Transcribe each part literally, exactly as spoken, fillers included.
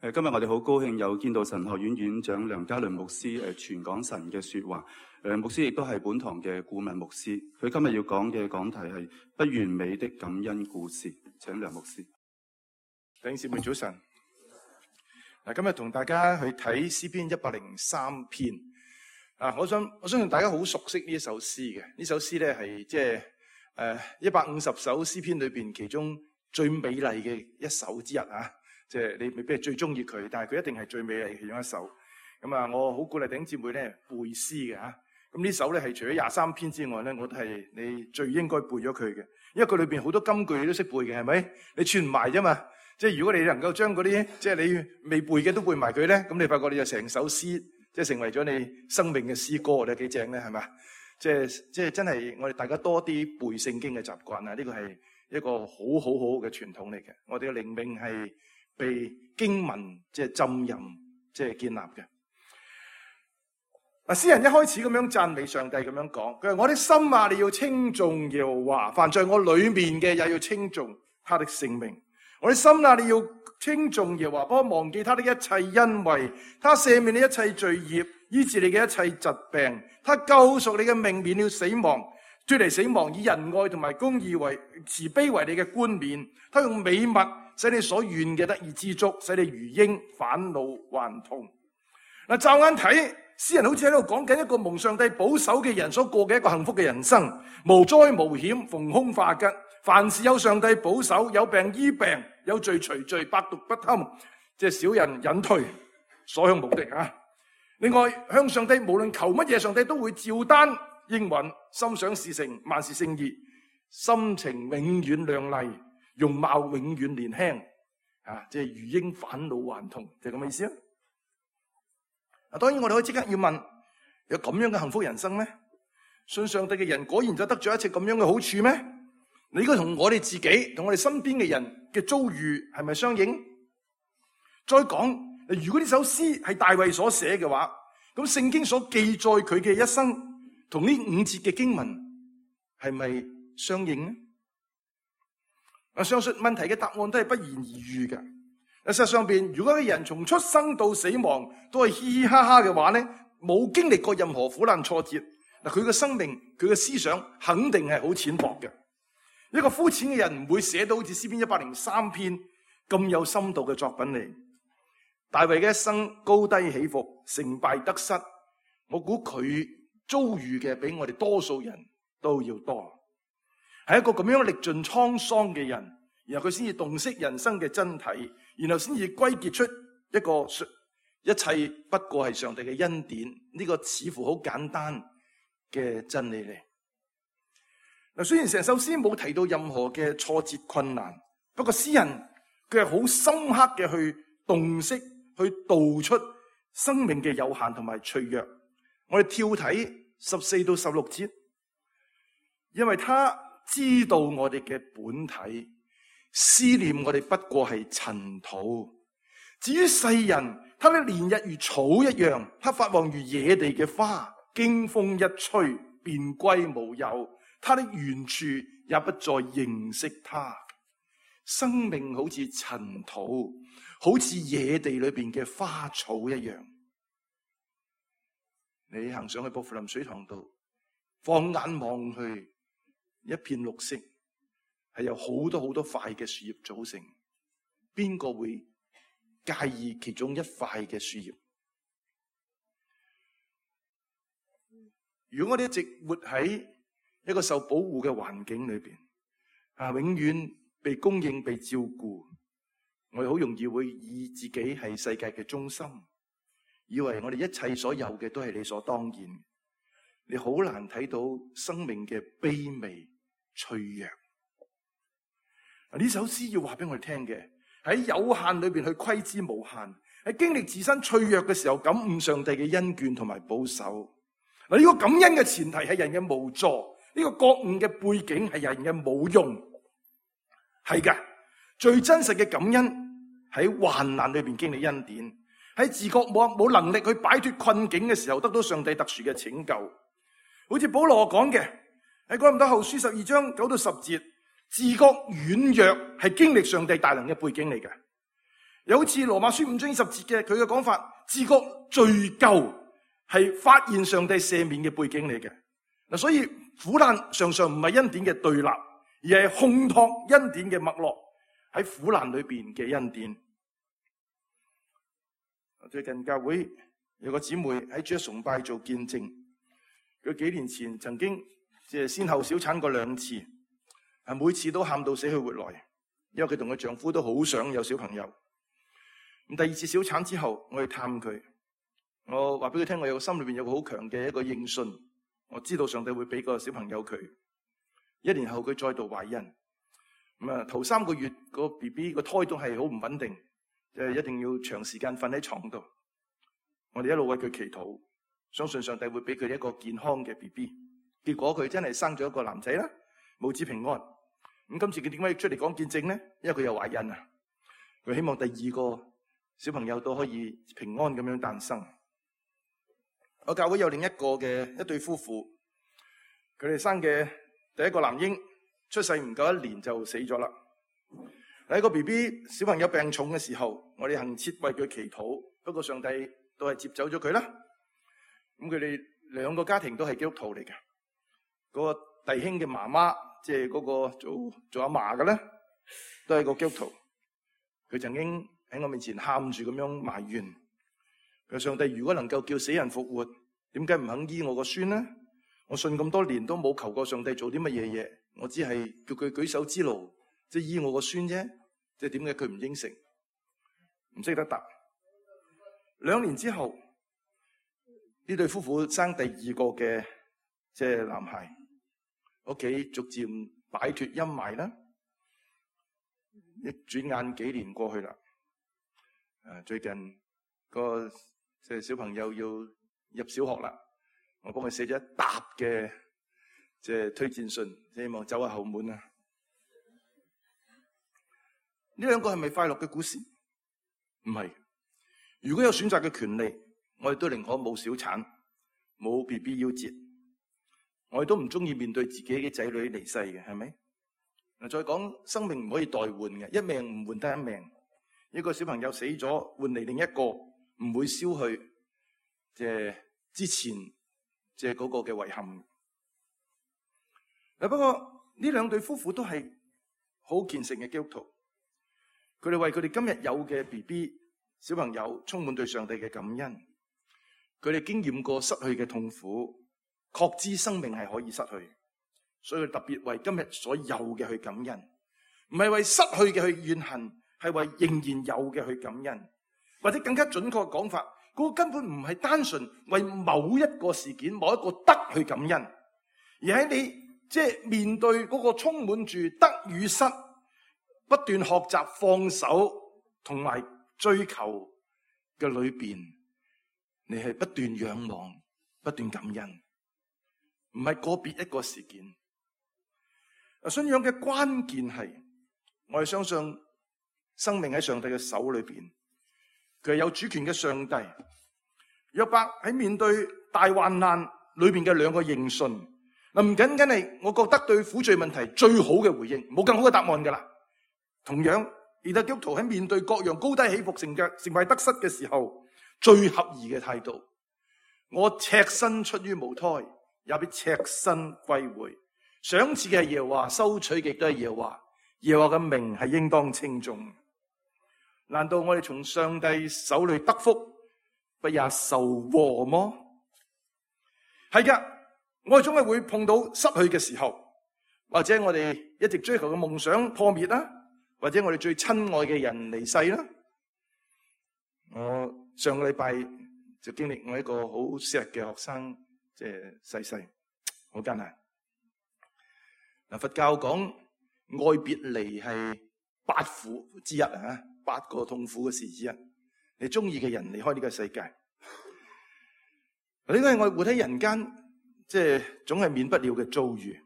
誒，今日我哋好高興有見到神學院院長梁家麟牧師誒傳講神嘅說話。誒，牧師亦都係本堂嘅顧問牧師。佢今日要講嘅講題係不完美的感恩故事。請梁牧師。弟兄姊妹早晨。嗱，今日同大家去睇詩篇一百零三篇。啊，我想我相信大家好熟悉呢一首詩嘅。呢首詩咧係即係誒一百五十首詩篇裏邊其中最美麗嘅一首之一啊。即係你未必係最中意佢，但係佢一定係最美麗嘅其中一首。咁啊，我好鼓勵弟兄姊妹咧背詩嘅嚇。咁呢首咧係除咗廿三篇之外咧，我都係你最應該背咗佢嘅，因為佢裏邊好多金句你都識背嘅，係咪？你串唔埋啫嘛。即係如果你能夠將嗰啲即係你未背嘅都背埋佢咧，咁你發覺你就成首詩即係成為咗你生命嘅詩歌，你幾正咧？係咪？即係即係真係我哋大家多啲背聖經嘅習慣啊！呢個係一個好好好嘅傳統嚟嘅。我哋嘅靈命係被經文即係浸淫，即係建立嘅。嗱，詩人一開始咁樣讚美上帝，咁樣講，佢話：我的心啊，你要稱頌耶和華，凡在我裏面嘅也要稱頌他的聖名。我的心啊，你要稱頌耶和華，不可忘記他的一切恩惠，他赦免你一切罪孽，醫治你嘅一切疾病，他救贖你嘅命，免了死亡，脫離死亡，以仁愛同埋公義為慈悲為你嘅冠冕，他用美物使你所願嘅得以知足，使你如鷹返老還童。嗱，驟眼睇，詩人好似喺度講緊一個蒙上帝保守嘅人所過嘅一個幸福嘅人生，無災無險，逢凶化吉，凡事有上帝保守，有病醫病，有罪除罪，百毒不侵，即係小人隱退，所向無敵啊！另外，向上帝無論求乜嘢，上帝都會照單應允，心想事成，萬事勝意，心情永遠亮麗，容貌永遠年輕，啊，即係如鷹返老還童，就係咁嘅意思啊！啊，當然我哋可以即刻要問：有咁樣嘅幸福人生咩？信上帝嘅人果然就得咗一切咁樣嘅好處咩？你應該同我哋自己、同我哋身邊嘅人嘅遭遇係咪相應？再講，如果呢首詩係大衛所寫嘅話，咁聖經所記載佢嘅一生，同呢五節嘅經文係咪相應呢？啊，上述問題嘅答案都係不言而喻嘅。事實上邊，如果一個人從出生到死亡都係嘻嘻哈哈嘅話咧，冇經歷過任何苦難挫折，嗱，佢嘅生命、佢嘅思想肯定係好淺薄嘅。一個膚淺嘅人唔會寫到好似詩篇一百零三篇咁有深度嘅作品嚟。大衛嘅一生高低起伏、成敗得失，我估佢遭遇嘅比我哋多數人都要多。係一個咁樣歷盡滄桑嘅人，然後佢先至洞悉人生嘅真諦，然後先至歸結出一個一切不過係上帝嘅恩典，呢個似乎好簡單嘅真理嚟。嗱，雖然成首詩冇提到任何嘅挫折困難，不過詩人佢係好深刻嘅去洞悉、去道出生命嘅有限同埋脆弱。我哋跳睇十四到十六節，因為他知道我哋嘅本體，思念我哋不過係塵土。至於世人，他的年日如草一樣，他發旺如野地嘅花，經風一吹便歸無有。他的原處也不再認識他。生命好似塵土，好似野地裏邊嘅花草一樣。你行上去薄扶林水塘度，放眼望去，一片綠色，係由好多好多塊嘅樹葉組成。邊個會介意其中一塊嘅樹葉？如果我哋一直活喺一個受保護嘅環境裏邊，啊，永遠被供應、被照顧，我哋好容易會以自己係世界嘅中心，以為我哋一切所有嘅都係理所當然。你好難睇到生命嘅卑微、脆弱。呢首詩要話俾我哋聽嘅，喺有限裏邊去窺知無限，喺經歷自身脆弱嘅時候，感悟上帝嘅恩眷同埋保守。嗱，呢個感恩嘅前提係人嘅無助。呢個覺悟嘅背景係人嘅冇用，係㗎。最真實嘅感恩喺患難裏邊經歷恩典，喺自覺冇冇能力去擺脫困境嘅時候，得到上帝特殊嘅拯救。好似保羅講嘅喺哥林多後書十二章九到十節，自覺軟弱係經歷上帝大能嘅背景嚟嘅。又好似羅馬書五章二十節嘅佢嘅講法，自覺罪疚係發現上帝赦免嘅背景嚟嘅。嗱，所以苦難常常唔係恩典嘅對立，而係烘托恩典嘅脈絡，喺苦難裏邊嘅恩典。最近教會有個姊妹喺主日崇拜做見證，佢幾年前曾經即係先後小產過兩次，係每次都喊到死去活來，因為佢同佢丈夫都好想有小朋友。咁第二次小產之後，我去探佢，我話俾佢聽，我有個心裏邊有個好強嘅一個認信，我知道上帝會俾個小朋友佢。一年後佢再度懷孕，咁啊頭三個月個 B B 個胎都係好唔穩定，即係一定要長時間瞓喺床度。我哋一路為佢祈禱，相信上帝會俾佢一個健康嘅 B B。結果佢真係生咗一個男仔啦，母子平安。咁今次佢點解要出嚟講見證咧？因為佢有懷孕啊，佢希望第二個小朋友都可以平安咁樣誕生。我教會有另一個嘅一對夫婦，佢哋生嘅第一個男嬰出世唔夠一年就死咗啦。喺個 B B 小朋友病重嘅時候，我哋恆切為佢祈禱，不過上帝都係接走咗佢啦。咁佢哋兩個家庭都係基督徒嚟嘅。嗰個弟兄嘅媽媽，即係嗰個做做阿嫲嘅咧，都係個基督徒。佢曾經喺我面前喊住咁樣埋怨，佢話上帝如果能夠叫死人復活，點解唔肯醫我個孫呢？我信咁多年都冇求過上帝做啲乜嘢嘢，我只係叫佢舉手之勞，即係醫我個孫啫。即係點解佢唔應承？唔識得答。兩年之後，呢對夫婦生第二個嘅即係男孩，屋企逐漸擺脫陰霾啦。一轉眼幾年過去啦，誒，最近個即係小朋友要入小學啦，我幫佢寫咗一沓嘅即係推薦信，希望走下後門啊！呢兩個係咪快樂嘅故事？唔係。如果有選擇嘅權利，我哋都寧可冇小產，冇 B B 夭折。我哋都唔中意面對自己嘅仔女離世嘅，係咪？嗱，再講生命唔可以代換嘅，一命唔換得一命。一個小朋友死咗，換嚟另一個，唔會消去即係之前即係嗰個嘅遺憾。嗱，不過呢兩對夫婦都係好虔誠嘅基督徒。佢哋為佢哋今日有嘅 B B 小朋友充滿對上帝嘅感恩。佢哋經驗過失去嘅痛苦，確知生命係可以失去，所以佢特別為今日所有嘅去感恩，唔係為失去嘅去怨恨，係為仍然有嘅去感恩。或者更加準確嘅講法，嗰個根本唔係單純為某一個事件、某一個得去感恩，而喺你即係面對嗰個充滿住得與失，不斷學習放手同埋追求嘅裏邊，你係不斷仰望、不斷感恩，唔係個別一個事件。信仰嘅關鍵係，我哋相信生命喺上帝嘅手裏邊，佢係有主權嘅上帝。約伯喺面對大患難裏邊嘅兩個認信，嗱，唔僅僅係我覺得對苦罪問題最好嘅回應，冇更好嘅答案噶啦。同樣，而家基督徒喺面對各樣高低起伏成嘅成敗得失嘅時候，最合宜嘅態度，我赤身出於母胎，也必赤身歸回。賞賜嘅係耶和華，收取嘅亦都係耶和華。耶和華嘅名係應當稱頌。難道我哋從上帝手裏得福，不也受禍麼？係噶，我哋總係會碰到失去嘅時候，或者我哋一直追求嘅夢想破滅啦，或者我哋最親愛嘅人離世啦。我上個禮拜就經歷我一個好錫嘅學生，即係逝世，好艱難。嗱，佛教講愛別離係八苦之一啊，八個痛苦嘅事之一。你中意嘅人離開呢個世界，呢個係我哋活喺人間，即係總係免不了嘅遭遇。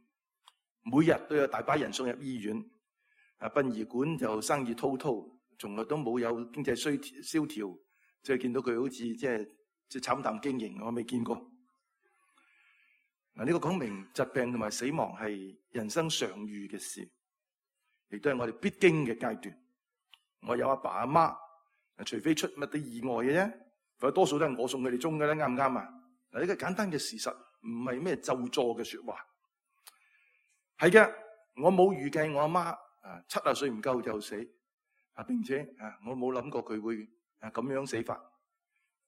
每日都有大把人送入醫院，啊，殯儀館就生意滔滔，從來都冇有經濟衰蕭條，即係見到佢好似即係即係慘淡經營，我未見過。嗱，呢個講明疾病同埋死亡係人生常遇嘅事，亦都係我哋必經嘅階段。我有阿爸阿媽，除非出乜啲意外嘅啫，否則多數都係我送佢哋中嘅咧，啱唔啱啊？嗱，呢個簡單嘅事實，唔係咩咒詛嘅說話。係嘅，我冇預計我阿媽啊七啊歲唔夠就死啊，並且啊我冇諗過佢會啊咁樣死法，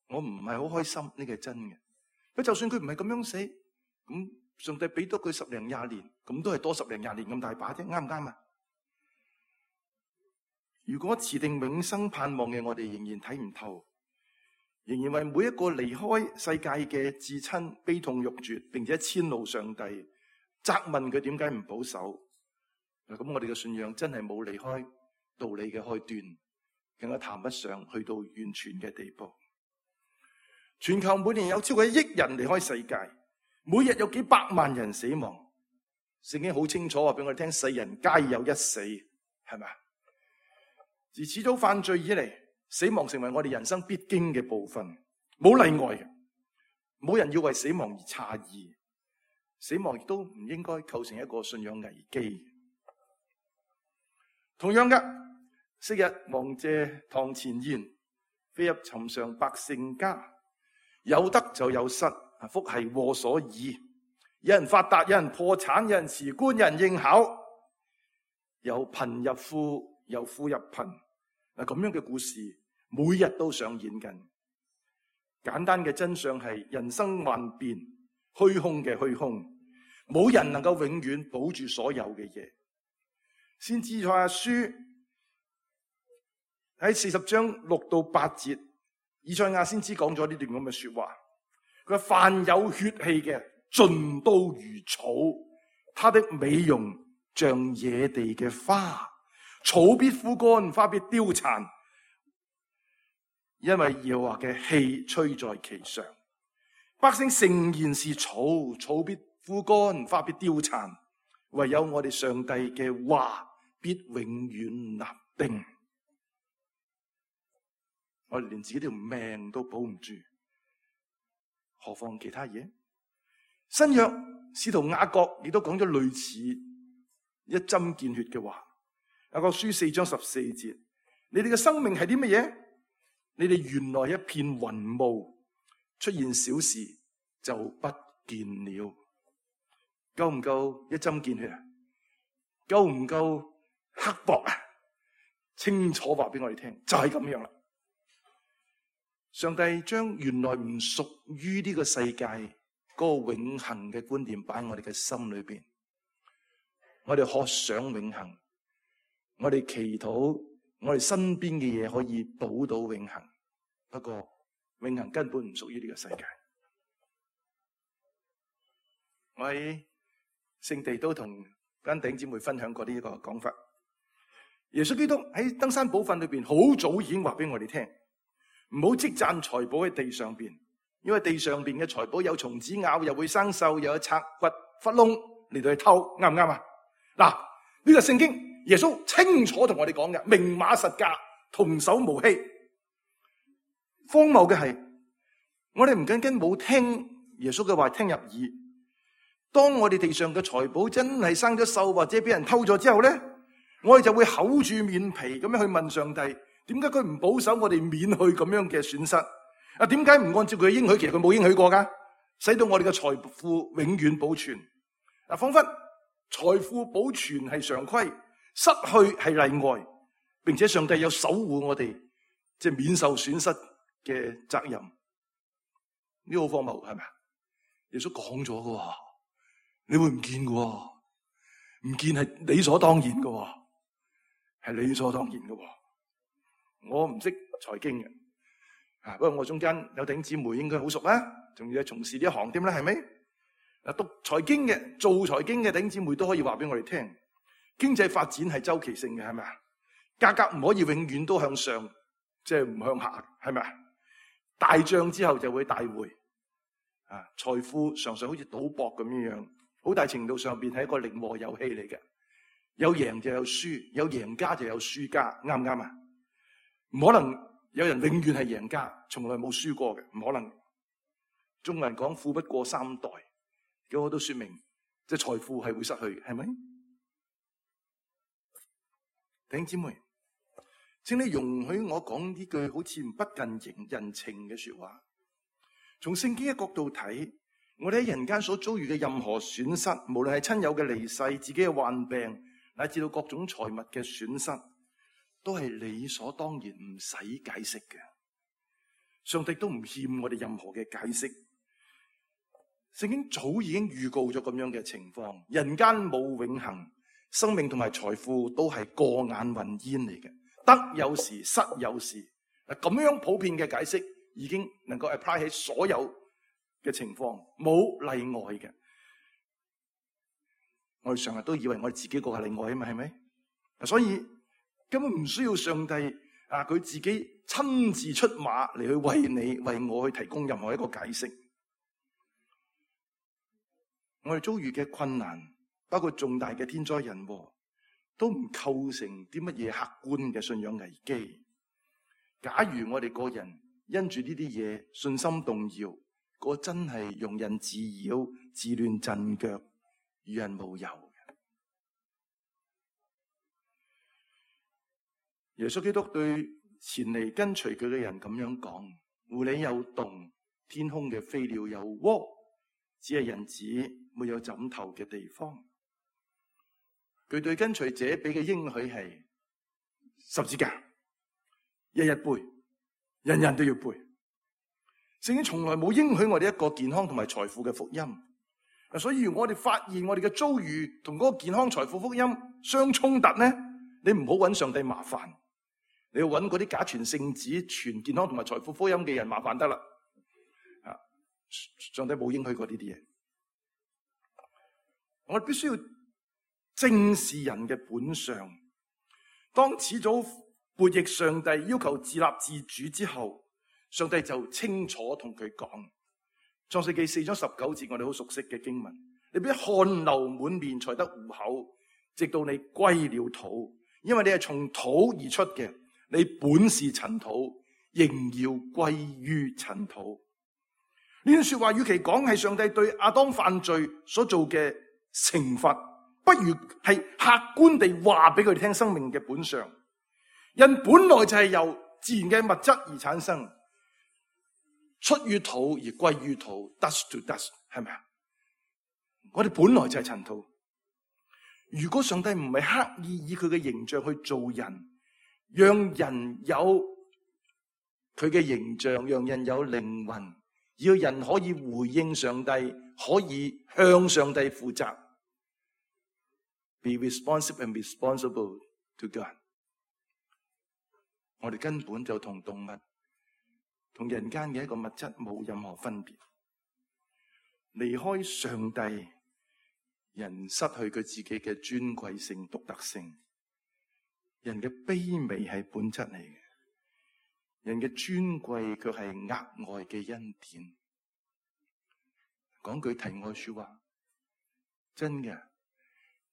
我唔係好開心，呢個係真嘅。不過就算佢唔係咁樣死，咁上帝俾多佢十零廿年，咁都係多十零廿年咁大把啫，啱唔啱啊？如果持定永生盼望嘅我哋仍然睇唔透，仍然為每一個離開世界嘅至親悲痛欲絕，並且遷怒上帝，責問佢點解唔保守，咁我哋嘅信仰真係冇離開道理嘅開端，更加談不上去到完全嘅地步。全球每年有超過一億人離開世界，每日有幾百萬人死亡。聖經好清楚話俾我哋聽，世人皆有一死，係咪？自始祖犯罪以嚟，死亡成為我哋人生必經嘅部分，冇例外嘅。冇人要為死亡而詫異，死亡亦都唔應該構成一個信仰危機。同樣嘅，昔日王謝堂前燕，飛入尋常百姓家。有得就有失，福係禍所倚。有人發達，有人破產，有人辭官，有人應考，由貧入富，由富入貧。嗱，咁樣嘅故事每日都上演緊。簡單嘅真相係人生幻變，虛空嘅虛空，冇人能夠永遠保住所有嘅嘢。先知以賽亞書喺四十章六到八節。以賽亞先知講咗呢段咁嘅說話，佢話凡有血氣嘅盡都如草，他的美容像野地嘅花，草必枯乾，花必凋殘，因為耶和華嘅氣吹在其上。百姓誠然是草，草必枯乾，花必凋殘，唯有我哋上帝嘅話必永遠立定。我哋連自己條命都保唔住，何況其他嘢？新約使徒雅各亦都講咗類似一針見血嘅話。雅各書四章十四節，你哋嘅生命係啲乜嘢？你哋原來一片雲霧，出現小事就不見了。夠唔夠一針見血啊？夠唔夠刻薄啊？清楚話俾我哋聽，就係咁樣啦。上帝將原來唔屬於呢個世界嗰個永恆嘅觀念擺喺我哋嘅心裏邊，我哋渴想永恆，我哋祈禱我哋身邊嘅嘢可以保到永恆。不過永恆根本唔屬於呢個世界。我喺聖地都同間弟兄姊妹分享過呢一個講法。耶穌基督喺登山寶訓裏邊好早已經話俾我哋聽，唔好積攢財寶喺地上邊，因為地上邊嘅財寶有蟲子咬，又會生鏽，又有賊掘窟窿嚟到去偷，啱唔啱啊？嗱，呢個聖經耶穌清楚同我哋講嘅，明碼實價，童叟無欺。荒謬嘅係，我哋唔僅僅冇聽耶穌嘅話聽入耳，當我哋地上嘅財寶真係生咗鏽或者俾人偷咗之後咧，我哋就會厚住面皮咁樣去問上帝。點解佢唔保守我哋免去咁樣嘅損失？啊，點解唔按照佢嘅應許？其實佢冇應許過噶，使到我哋嘅財富永遠保存。嗱，仿佛財富保存係常規，失去係例外，並且上帝有守護我哋，即係免受損失嘅責任。呢個好荒謬，係咪？耶穌講咗噶，你會唔見噶？唔見係理所當然噶，係理所當然噶。我唔識財經嘅，啊，不過我中間有弟兄姊妹應該好熟啦，仲要係從事呢一行添啦，係咪？嗱，讀財經嘅、做財經嘅弟兄姊妹都可以話俾我哋聽，經濟發展係周期性嘅，係咪啊？價格唔可以永遠都向上，即係唔向下，係咪啊？大漲之後就會大回，啊，財富常常好似賭博咁樣樣，好大程度上邊係一個零和遊戲嚟嘅，有贏就有輸，有贏家就有輸家，啱唔啱啊？唔可能有人永遠係贏家，從來冇輸過嘅，唔可能。中國人講富不過三代，咁我都說明，即係財富係會失去嘅，係咪？弟兄姊妹，請你容許我講呢句好似不近人情嘅說話。從聖經嘅角度睇，我哋喺人間所遭遇嘅任何損失，無論係親友嘅離世、自己嘅患病，乃至到各種財物嘅損失，都係理所當然，唔使解釋嘅。上帝都唔欠我哋任何嘅解釋。聖經早已經預告咗咁樣嘅情況，人間冇永恆，生命同埋財富都係過眼雲煙嚟嘅，得有時，失有時。嗱，咁樣普遍嘅解釋已經能夠 apply 喺所有嘅情況，冇例外嘅。我哋成日都以為我哋自己個係例外啊嘛，係咪？所以根本唔需要上帝啊，佢自己親自出馬嚟去為你、為我去提供任何一個解釋。我哋遭遇嘅困難，包括重大嘅天災人禍，都唔構成啲乜嘢客觀嘅信仰危機。假如我哋個人因住呢啲嘢信心動搖，嗰真係庸人自擾、自亂陣腳、與人無尤嘅。耶穌基督對前嚟跟隨佢嘅人咁樣講：狐狸有洞，天空嘅飛鳥有窩，只係人子沒有枕頭嘅地方。佢對跟隨者俾嘅應許係十字架，日日背，人人都要背。聖經從來冇應許我哋一個健康同埋財富嘅福音。所以如果我哋發現我哋嘅遭遇同嗰個健康財富福音相衝突呢，你唔好揾上帝麻煩，你要揾嗰啲假傳聖旨、傳健康同埋財富福音嘅人麻煩得啦。啊，上帝冇應許過呢啲嘢。我哋必須要正視人嘅本相。當始祖悖逆上帝，要求自立自主之後，上帝就清楚同佢講，創世記四章十九節，我哋好熟悉嘅經文：你必汗流滿面才得糊口，直到你歸了土，因為你係從土而出嘅，你本是塵土，仍要歸於塵土。呢段說話與其講係上帝對亞當犯罪所做嘅懲罰，不如係客觀地話俾佢哋聽生命嘅本相。人本來就係由自然嘅物質而產生，出於土而歸於土 ，dust to dust， 係咪啊？我哋本來就係塵土。如果上帝唔係刻意以佢嘅形象去做人，讓人有佢嘅形象，讓人有靈魂，要人可以回應上帝，可以向上帝負責 ，be responsive and responsible to God。我哋根本就同動物、同人間嘅一個物質冇任何分別。離開上帝，人失去佢自己嘅尊貴性、獨特性。人嘅卑微係本質嚟嘅，人嘅尊貴卻係額外嘅恩典。講句題外說話，真嘅，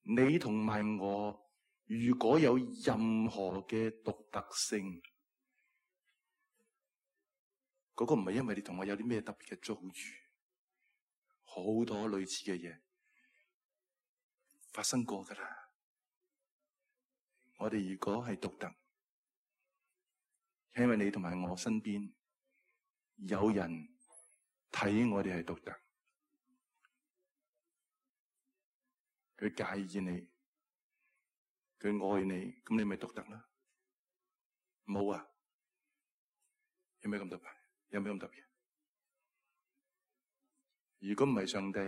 你同埋我，如果有任何嘅獨特性，嗰個唔係因為你同我有啲咩特別嘅遭遇，好多類似嘅嘢發生過噶啦。我哋如果係獨特，因為你同埋我身邊有人睇我哋係獨特，佢介意你，佢愛你，咁你咪獨特啦。冇啊，有咩咁特別？有咩咁特別？如果唔係上帝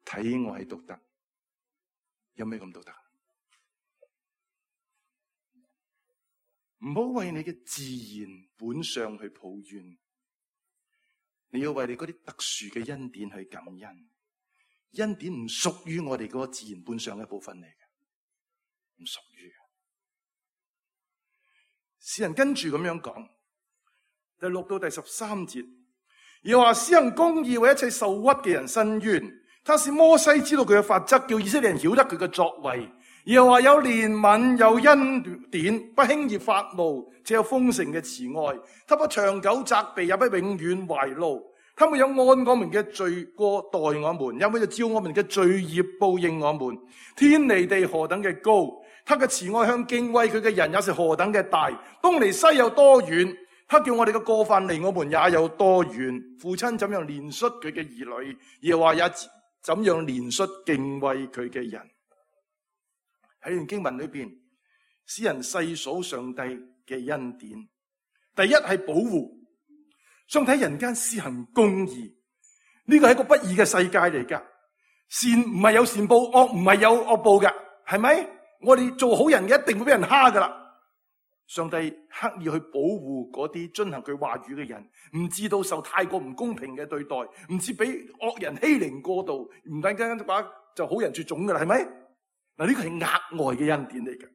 睇我係獨特，有咩咁獨特？唔好為你嘅自然本相去抱怨，你要為你嗰啲特殊嘅恩典去感恩。恩典唔屬於我哋嗰個自然本相嘅一部分嚟嘅，唔屬於嘅。詩人跟住咁樣講，第六到第十三節，又話施行公義，為一切受屈嘅人伸冤。他使摩西知道佢嘅法則，叫以色列人曉得佢嘅作為。又話有憐憫，有恩典，不輕易發怒，只有豐盛嘅慈愛。他不長久責備，也不永遠懷怒。他沒有按我們嘅罪過待我們，也沒有照我們嘅罪孽報應我們。天離地何等嘅高，他嘅慈愛向敬畏佢嘅人也是何等嘅大。東離西有多遠，他叫我哋嘅過犯離我們也有多遠。父親怎樣憐恤佢嘅兒女，耶和華也怎樣憐恤敬畏佢嘅人。喺呢段經文裏邊，詩人細數上帝嘅恩典。第一係保護，上帝喺人間施行公義，呢個係一個不義嘅世界嚟噶。善唔係有善報，惡唔係有惡報噶，係咪？我哋做好人嘅一定會俾人蝦噶啦。上帝刻意去保護嗰啲遵行佢話語嘅人，唔至到受太過唔公平嘅對待，唔至俾惡人欺凌過度，唔等間話就好人絕種噶啦，係咪？嗱，呢個係額外嘅恩典嚟嘅，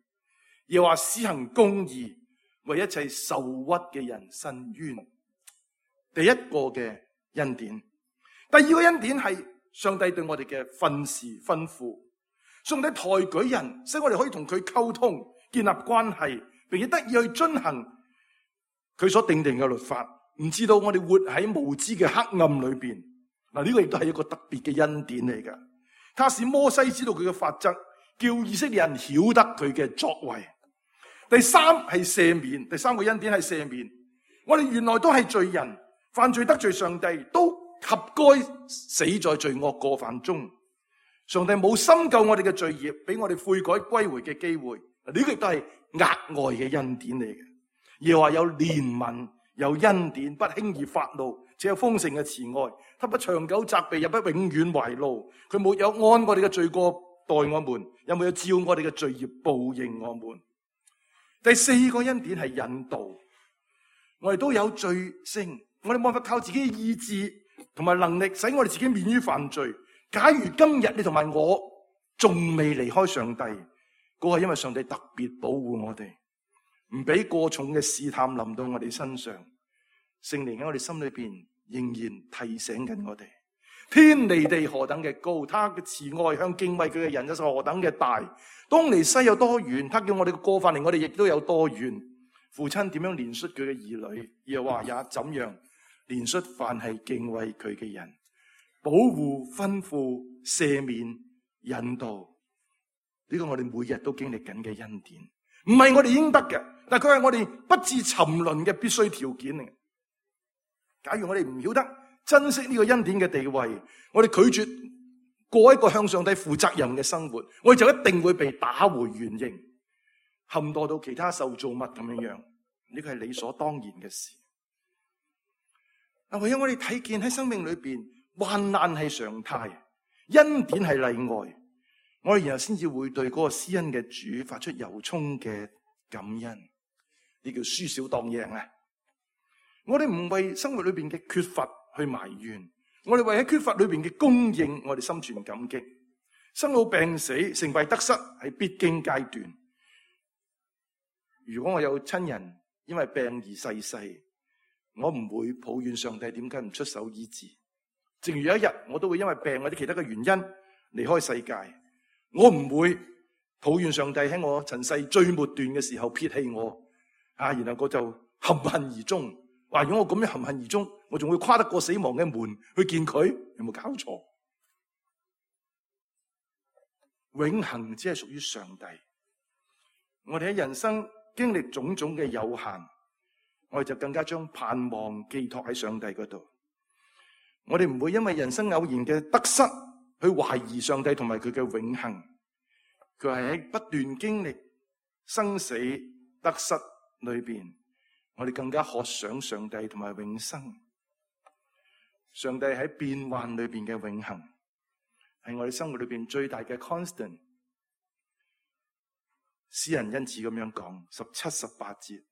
又話施行公義，為一切受屈嘅人伸冤。第一個嘅恩典，第二個恩典係上帝對我哋嘅訓示吩咐。上帝抬舉人，使我哋可以同佢溝通，建立關係，並且得以去遵行佢所定定嘅律法，唔知道我哋活喺無知嘅黑暗裏邊。嗱，呢個亦都係一個特別嘅恩典嚟噶。他使摩西知道佢嘅法則，叫以色列人曉得佢嘅作為。第三係赦免，第三個恩典係赦免。我哋原來都係罪人，犯罪得罪上帝，都合該死在罪惡過犯中。上帝冇深究我哋嘅罪孽，俾我哋悔改歸回嘅機會。呢個亦都係額外嘅恩典嚟嘅。耶和華有憐憫，有恩典，不輕易發怒，且有豐盛嘅慈愛。他不長久責備，也不永遠懷怒。佢沒有按我哋嘅罪過待我們，又沒有照我哋嘅罪孽報應我們。第四個恩典係引導。我哋都有罪性，我哋冇法靠自己嘅意志同埋能力，使我哋自己免於犯罪。假如今日你同埋我仲未離開上帝，嗰係因為上帝特別保護我哋，唔俾過重嘅試探臨到我哋身上。聖靈喺我哋心裏邊仍然提醒緊我哋，天離地何等嘅高，他嘅慈愛向敬畏佢嘅人又是何等嘅大。東離西有多遠，他叫我哋嘅過犯離我哋亦都有多遠。父親點樣憐恤佢嘅兒女，耶和華也怎樣憐恤凡係敬畏佢嘅人。保護、吩咐、赦免、引導，呢個我哋每日都經歷緊嘅恩典，唔係我哋應得嘅，但係佢係我哋不致沉淪嘅必須條件嚟。假如我哋唔曉得珍惜呢個恩典嘅地位，我哋拒絕過一個向上帝負責任嘅生活，我哋就一定會被打回原形，陷墮到其他受造物咁樣樣。呢個係理所當然嘅事。嗱，唯有我哋睇見喺生命裏邊，患難係常態，恩典係例外，我哋然後先至會對嗰個施恩嘅主發出由衷嘅感恩。呢叫輸少當贏啊！我哋唔為生活裏邊嘅缺乏去埋怨，我哋為喺缺乏裏邊嘅供應，我哋心存感激。生老病死、成敗得失係必經階段。如果我有親人因為病而逝世，我唔會抱怨上帝點解唔出手醫治。正如有一日我都會因為病或者其他嘅原因離開世界，我唔會抱怨上帝喺我塵世最末段嘅時候撇棄我，啊，然後我就含恨而終。話如果我咁樣含恨而終，我仲會跨得過死亡嘅門去見佢？有冇搞錯？永恆只係屬於上帝。我哋喺人生經歷種種嘅有限，我哋就更加將盼望寄託喺上帝嗰度。我哋唔會因為人生偶然嘅得失去懷疑上帝同埋佢嘅永恆。佢係喺不斷經歷生死得失裏邊，我哋更加渴想上帝同埋永生。上帝喺變幻裏邊嘅永恆，係我哋生活裏邊最大嘅 constant。詩人因此咁樣講，十七、十八節，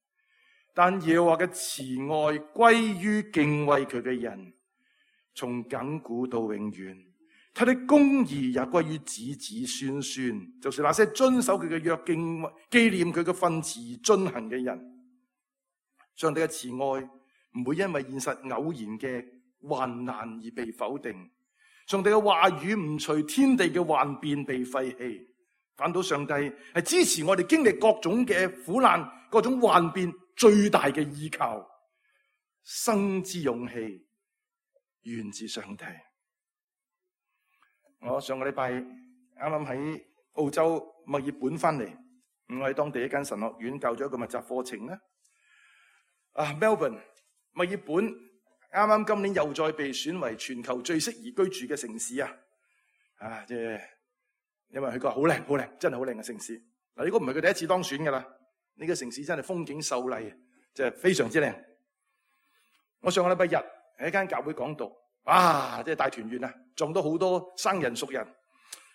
但耶和華嘅慈愛歸於敬畏佢嘅人，從亙古到永遠，他的公義也歸於子子孫孫，就是那些遵守佢嘅約、敬紀念佢嘅訓詞而遵行嘅人。上帝嘅慈愛唔會因為現實偶然嘅患難而被否定，上帝嘅話語唔隨天地嘅幻變被廢棄，反倒上帝係支持我哋經歷各種嘅苦難、各種幻變最大嘅依靠。生之勇氣源自上帝。我上個禮拜啱啱喺澳洲墨爾本翻嚟，我喺當地一間神學院教咗一個密集課程咧。啊 ，Melbourne 墨爾本啱啱今年又再被選為全球最適宜居住嘅城市啊！啊，即係因為佢個好靚，好靚，真係好靚嘅城市。嗱，呢個唔係佢第一次當選噶啦，呢個城市真係風景秀麗，即係非常之靚。我上個禮拜日喺一間教會講道，哇！即係大團圓啊，撞到好多生人熟人。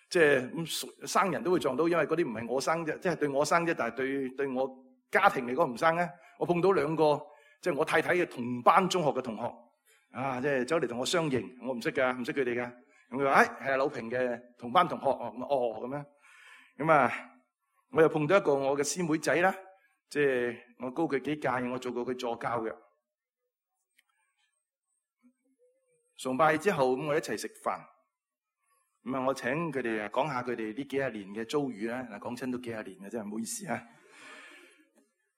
即係咁生人都會撞到，因為嗰啲唔係我生啫，即係對我生啫，但係對對我家庭嚟講唔生咧。我碰到兩個即係我太太嘅同班中學嘅同學，啊，即係走嚟同我相認，我唔識噶，唔識佢哋噶。咁佢話：誒，係柳平嘅同班同學哦，哦咁樣。咁啊，我又碰到一個我嘅師妹仔啦，即係我高佢幾屆，我做過佢助教嘅。崇拜之後咁，我一齊食飯。咁啊！我請佢哋啊講下佢哋呢幾廿年嘅遭遇啦。嗱，講親都幾廿年嘅，真係唔好意思啊。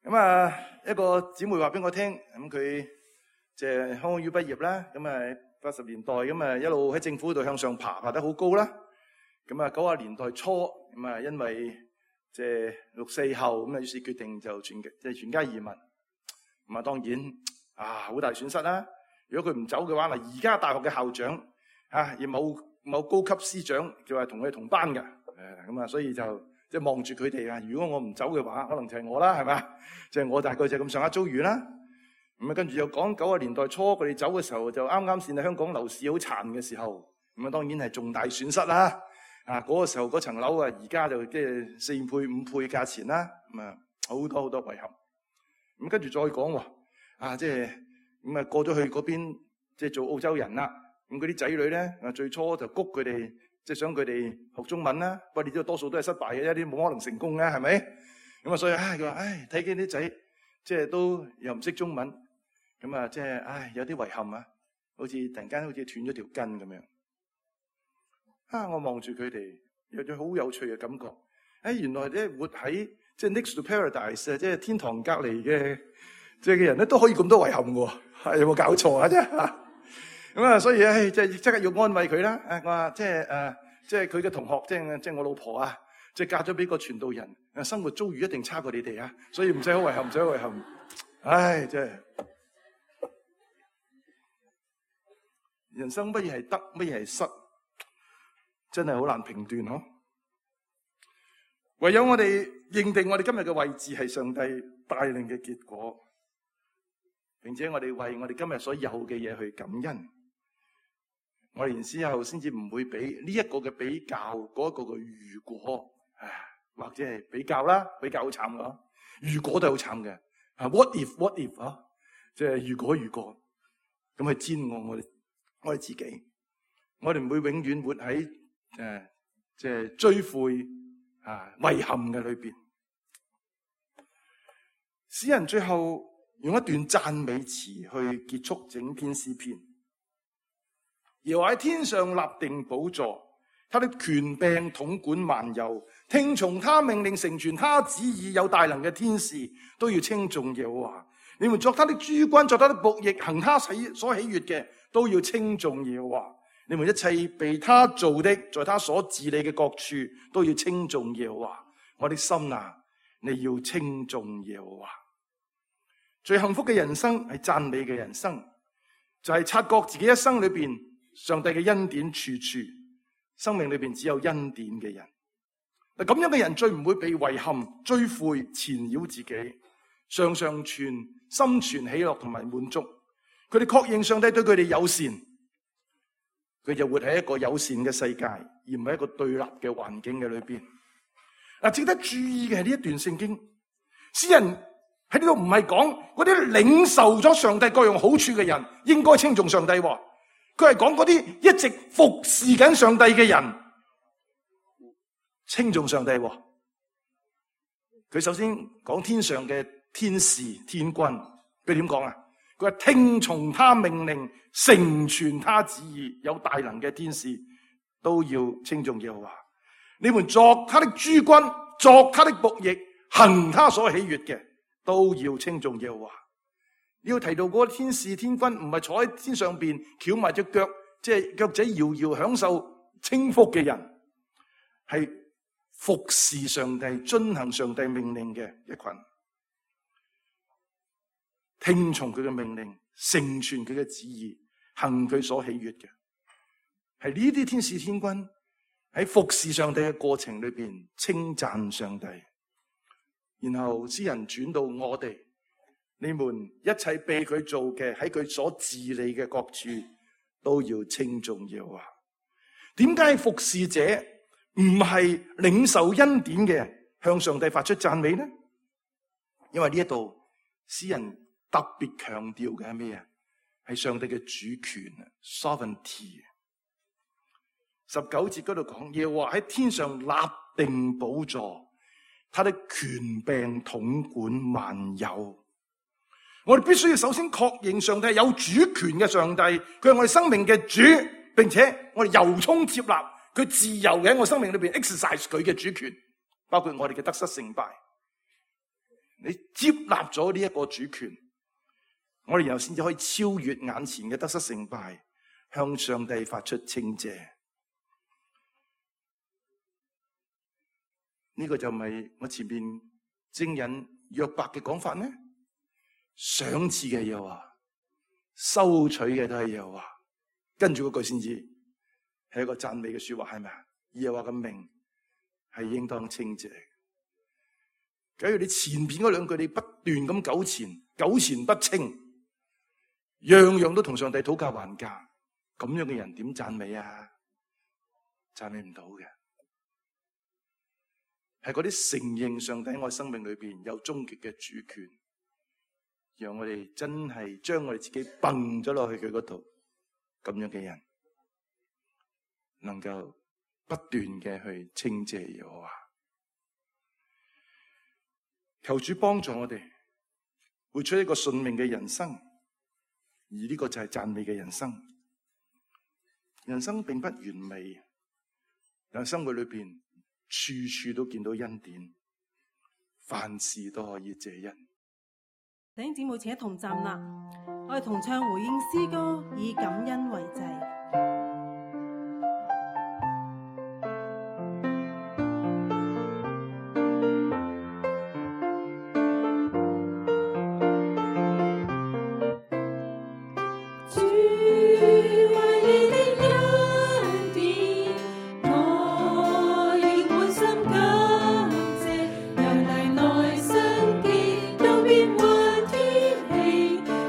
咁啊，一個姊妹話俾我聽，咁佢即係香港 U 畢業啦。咁啊，八十年代咁啊，一路喺政府度向上爬，爬得好高啦。咁啊，九十年代初咁啊，因為即係六四後咁啊，於是決定就全即係全家移民。咁啊，當然啊，好大損失啦。如果佢唔走嘅話，嗱，而家大學嘅校長啊，亦冇。某高級師長就係同佢同班嘅，誒咁啊，所以就即係望住佢哋啊。如果我唔走嘅話，可能就係我啦，係咪？即係我大概就咁上下遭遇啦。咁啊，跟住又講九十年代初佢哋走嘅時候，就啱啱先係香港樓市好殘嘅時候，咁啊當然係重大損失啦。啊，嗰個時候嗰層樓啊，而家就即係四倍五倍價錢啦。咁啊，好多好多遺憾。咁跟住再講喎，啊即係咁啊過咗去嗰邊，即係做澳洲人啦。咁嗰啲仔女咧，啊最初就谷佢哋，即係想佢哋學中文啦。不過你知道多數都係失敗嘅，一啲冇可能成功嘅，係咪？咁啊，所以唉，佢話唉，睇見啲仔即係都又唔識中文，咁啊，即係唉有啲遺憾啊，好似突然間好似斷咗條筋咁樣。啊，我望住佢哋，有咗好有趣嘅感覺。唉，原來咧活喺即係 next to paradise 啊，即係天堂隔離嘅即係嘅人咧，都可以咁多遺憾嘅喎。係有冇搞錯啊？啫？咁啊，所以唉，即係即刻要安慰佢啦。誒，我話即係誒，即係佢嘅同學，即係即係我老婆啊，即係嫁咗俾個傳道人，誒，生活遭遇一定差過你哋啊，所以唔使好遺憾，唔使好遺憾。唉，真係人生乜嘢係得，乜嘢係失，真係好難評斷嗬。唯有我哋認定我哋今日嘅位置係上帝帶領嘅結果，並且我哋為我哋今日所有嘅嘢去感恩。我哋然之後先至唔會俾呢一個嘅比較，嗰一個嘅如果，或者係比較啦，比較好慘㗎。如果都係好慘嘅，啊 what if what if 啊，即係如果如果，咁去煎我我哋我哋自己，我哋唔會永遠活喺誒即係追悔啊遺憾嘅裏邊。詩人最後用一段讚美詞去結束整篇詩篇。耶和華喺天上立定寶座，他的權柄統管萬有，聽從他命令，成全他旨意，有大能嘅天使都要稱頌耶和華。你們作他的諸君，作他的僕役，行他喜所喜悅嘅，都要稱頌耶和華。你們一切被他造的，在他所治理嘅各處，都要稱頌耶和華。我的心啊，你要稱頌耶和華。最幸福嘅人生係讚美嘅人生，就係、是、察覺自己一生裏邊上帝嘅恩典處處，生命裏邊只有恩典嘅人。嗱，咁樣嘅人最唔會被遺憾、追悔、纏繞自己，常常存心存喜樂同埋滿足。佢哋確認上帝對佢哋友善，佢就活喺一個友善嘅世界，而唔係一個對立嘅環境嘅裏邊。嗱，值得注意嘅係呢一段聖經，詩人喺呢度唔係講嗰啲領受咗上帝各樣好處嘅人應該稱頌上帝。佢係講嗰啲一直服侍緊上帝嘅人，稱頌上帝。佢首先講天上嘅天使天君，佢點講啊？佢話聽從他命令，成全他旨意，有大能嘅天使都要稱頌耶和華。你們作他的諸君，作他的僕役，行他所喜悅嘅，都要稱頌耶和華。你要提到嗰個天使天君，唔係坐喺天上邊翹埋隻腳，即係腳仔搖搖享受清福嘅人，係服侍上帝、遵行上帝命令嘅一群，聽從佢嘅命令，成全佢嘅旨意，行佢所喜悅嘅，係呢啲天使天軍喺服侍上帝嘅過程裏邊稱讚上帝。然後詩人轉到我哋，你們一切被佢做嘅，喺佢所治理嘅各處都要稱頌耶和華。點解服侍者唔係領受恩典嘅向上帝發出讚美呢？因為呢一度詩人特別強調嘅係咩啊？係上帝嘅主權 sovereignty。十九節嗰度講，耶和華喺天上立定寶座，他的權柄統管萬有。我哋必須要首先確認上帝係有主權嘅上帝，佢係我哋生命嘅主，並且我哋由衷接納佢自由嘅喺我生命裏邊 exercise 佢嘅主權，包括我哋嘅得失成敗。你接納咗呢一個主權，我哋然後先至可以超越眼前嘅得失成敗，向上帝發出稱謝。呢、這個就唔係我前面證人約伯嘅講法咩？賞賜嘅耶和華，收取嘅都係耶和華，跟住嗰句先至係一個讚美嘅說話，係咪啊？耶和華嘅名係應當稱謝。假如你前邊嗰兩句你不斷咁糾纏，糾纏不清，樣樣都同上帝討價還價，咁樣嘅人點讚美啊？讚美唔到嘅。係嗰啲承認上帝喺我生命裏邊有終極嘅主權，讓我哋真係將我哋自己蹦咗落去佢嗰度，咁樣嘅人能夠不斷嘅去稱謝耶和華。求主幫助我哋活出一個順命嘅人生，而呢個就係讚美嘅人生。人生並不完美，但係生活裏邊處處都見到恩典，凡事都可以謝恩。弟兄姊妹，請一同站立，我哋同唱回應詩歌，以感恩為祭。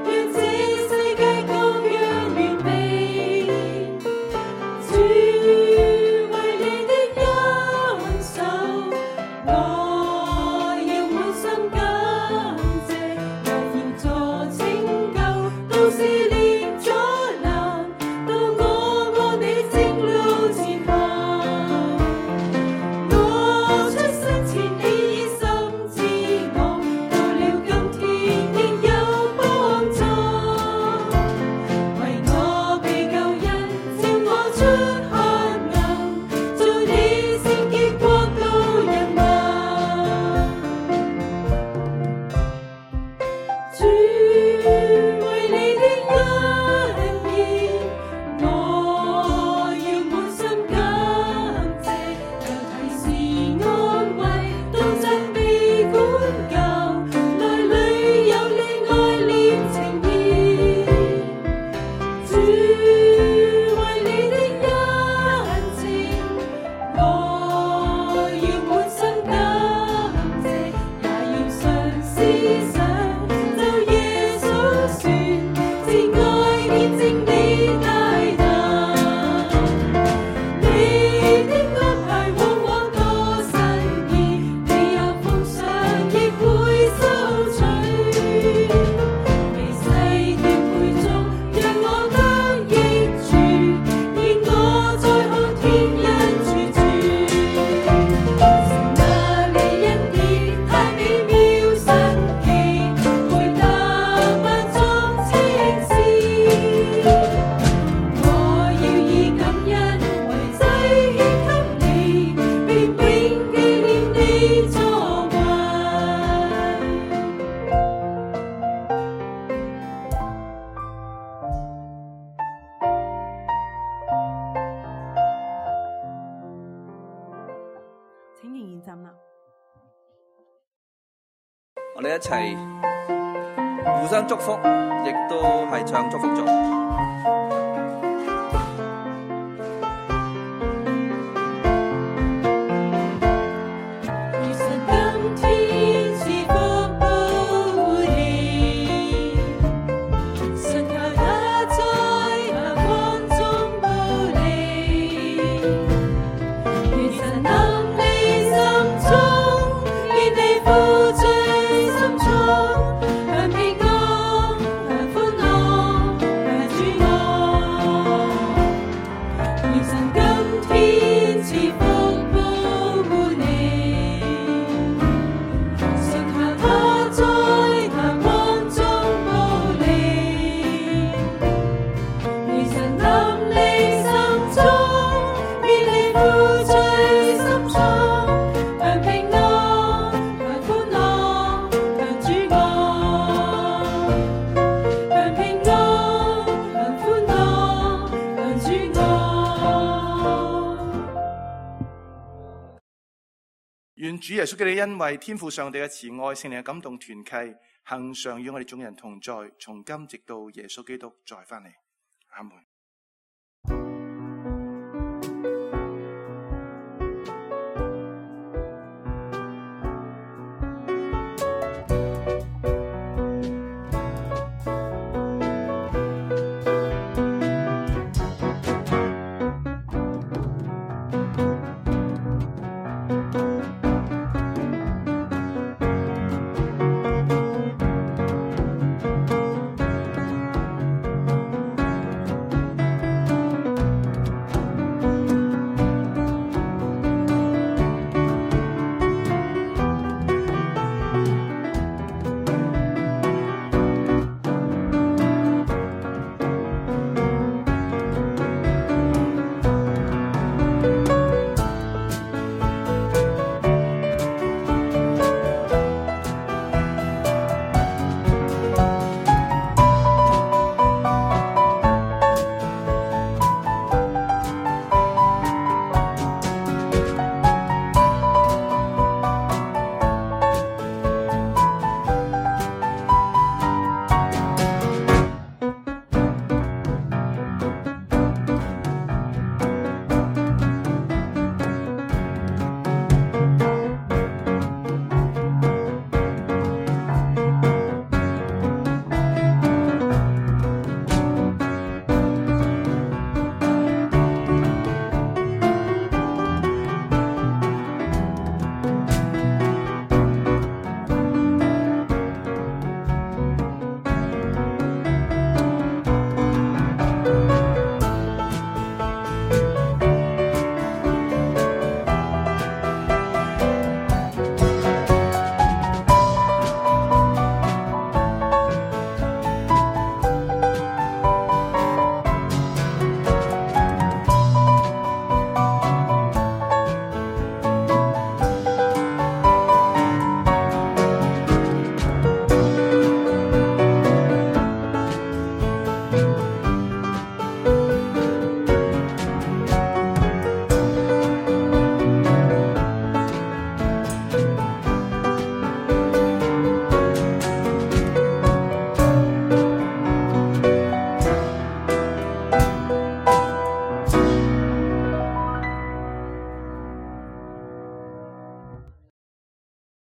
讓這世界各樣完美。我哋一齊互相祝福，亦都係唱祝福頌。願主耶穌基督的恩惠、天父上帝嘅慈愛、聖靈嘅感動團契，恆常與我哋眾人同在，從今直到耶穌基督再翻嚟。阿門。